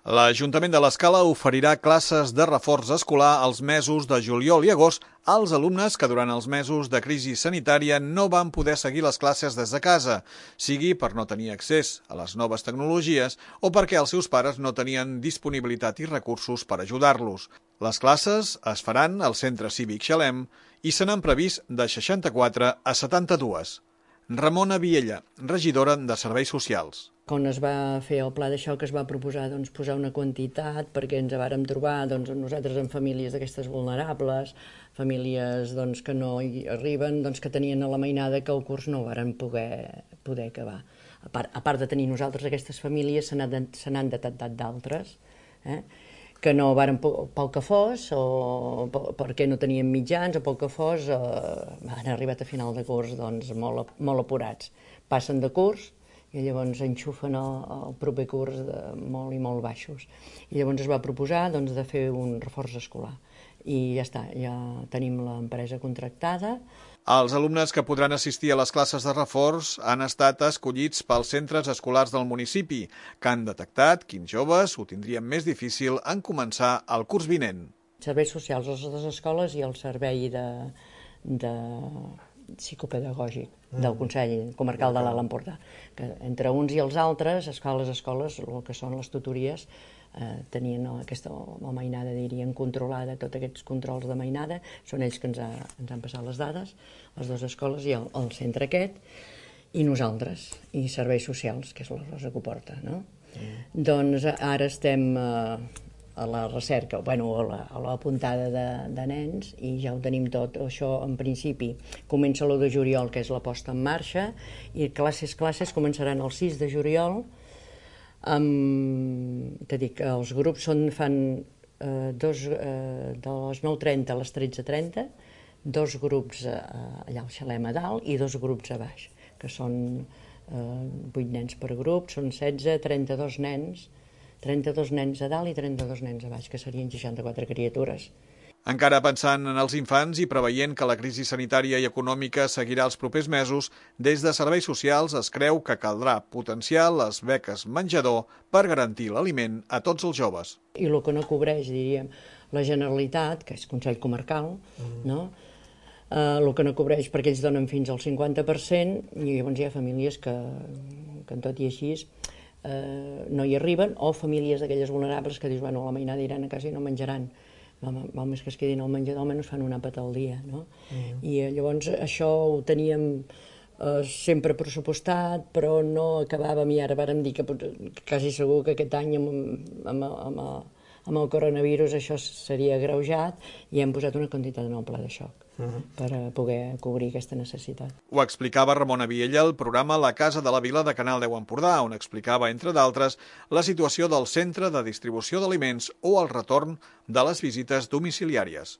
L'Ajuntament de l'Escala oferirà classes de reforç escolar als mesos de juliol i agost als alumnes que durant els mesos de crisi sanitària no van poder seguir les classes des de casa, sigui per no tenir accés a les noves tecnologies o perquè els seus pares no tenien disponibilitat i recursos per ajudar-los. Les classes es faran al Centre Cívic Xalem i se n'han previst de 64 a 72. Ramona Viella, regidora de Serveis Socials. Quan es va fer el pla de xoc es va proposar posar una quantitat perquè ens vàrem trobar nosaltres en famílies d'aquestes vulnerables, famílies que no hi arriben, que tenien a la mainada que el curs no varen poder acabar. A part de tenir nosaltres aquestes famílies, se n'han detectat d'altres, que no varen pel que fos, o perquè no tenien mitjans, o pel que fos, han arribat a final de curs molt apurats. Passen de curs i llavors enxufen el proper curs molt i molt baixos. I llavors es va proposar de fer un reforç escolar. I ja està, ja tenim l'empresa contractada. Els alumnes que podran assistir a les classes de reforç han estat escollits pels centres escolars del municipi, que han detectat quins joves ho tindrien més difícil en començar el curs vinent. Serveis socials a les escoles i el servei de psicopedagògic del Consell Comarcal de l'Alt Empordà, que entre uns i els altres, les escoles, el que són les tutories, tenien aquesta mainada, diríem, controlada, tots aquests controls de mainada, són ells que ens han passat les dades, les dues escoles i el centre aquest, i nosaltres, i serveis socials, que és la Rosa que ho porta, no? Doncs ara estem a la recerca, a la puntada de nens, i ja ho tenim tot. Això, en principi, comença l'1 de juliol, que és la posta en marxa, i classes començaran el 6 de juliol. T'he dit que els grups fan de les 9:30 a les 13:30, dos grups allà al Xalem a dalt i dos grups a baix, que són 8 nens per grup, són 16, 32 nens, 32 nens a dalt i 32 nens a baix, que serien 64 criatures. Encara pensant en els infants i preveient que la crisi sanitària i econòmica seguirà els propers mesos, des de Serveis Socials es creu que caldrà potenciar les beques menjador per garantir l'aliment a tots els joves. I el que no cobreix, diríem, la Generalitat, que és Consell Comarcal, no? El que no cobreix perquè ells donen fins al 50%, i llavors hi ha famílies que en tot i així no hi arriben, o famílies d'aquelles vulnerables que dius, la mainada iran a casa i no menjaran. Val més que es quedin al menjador, almenys fan un àpat al dia, no? I llavors això ho teníem sempre pressupostat, però no acabàvem, i ara vàrem dir que quasi segur que aquest any amb el coronavirus això seria agreujat, i hem posat una quantitat en el pla de xoc per poder cobrir aquesta necessitat. Ho explicava Ramona Viella al programa La Casa de la Vila de Canal 10 Empordà, on explicava, entre d'altres, la situació del centre de distribució d'aliments o el retorn de les visites domiciliàries.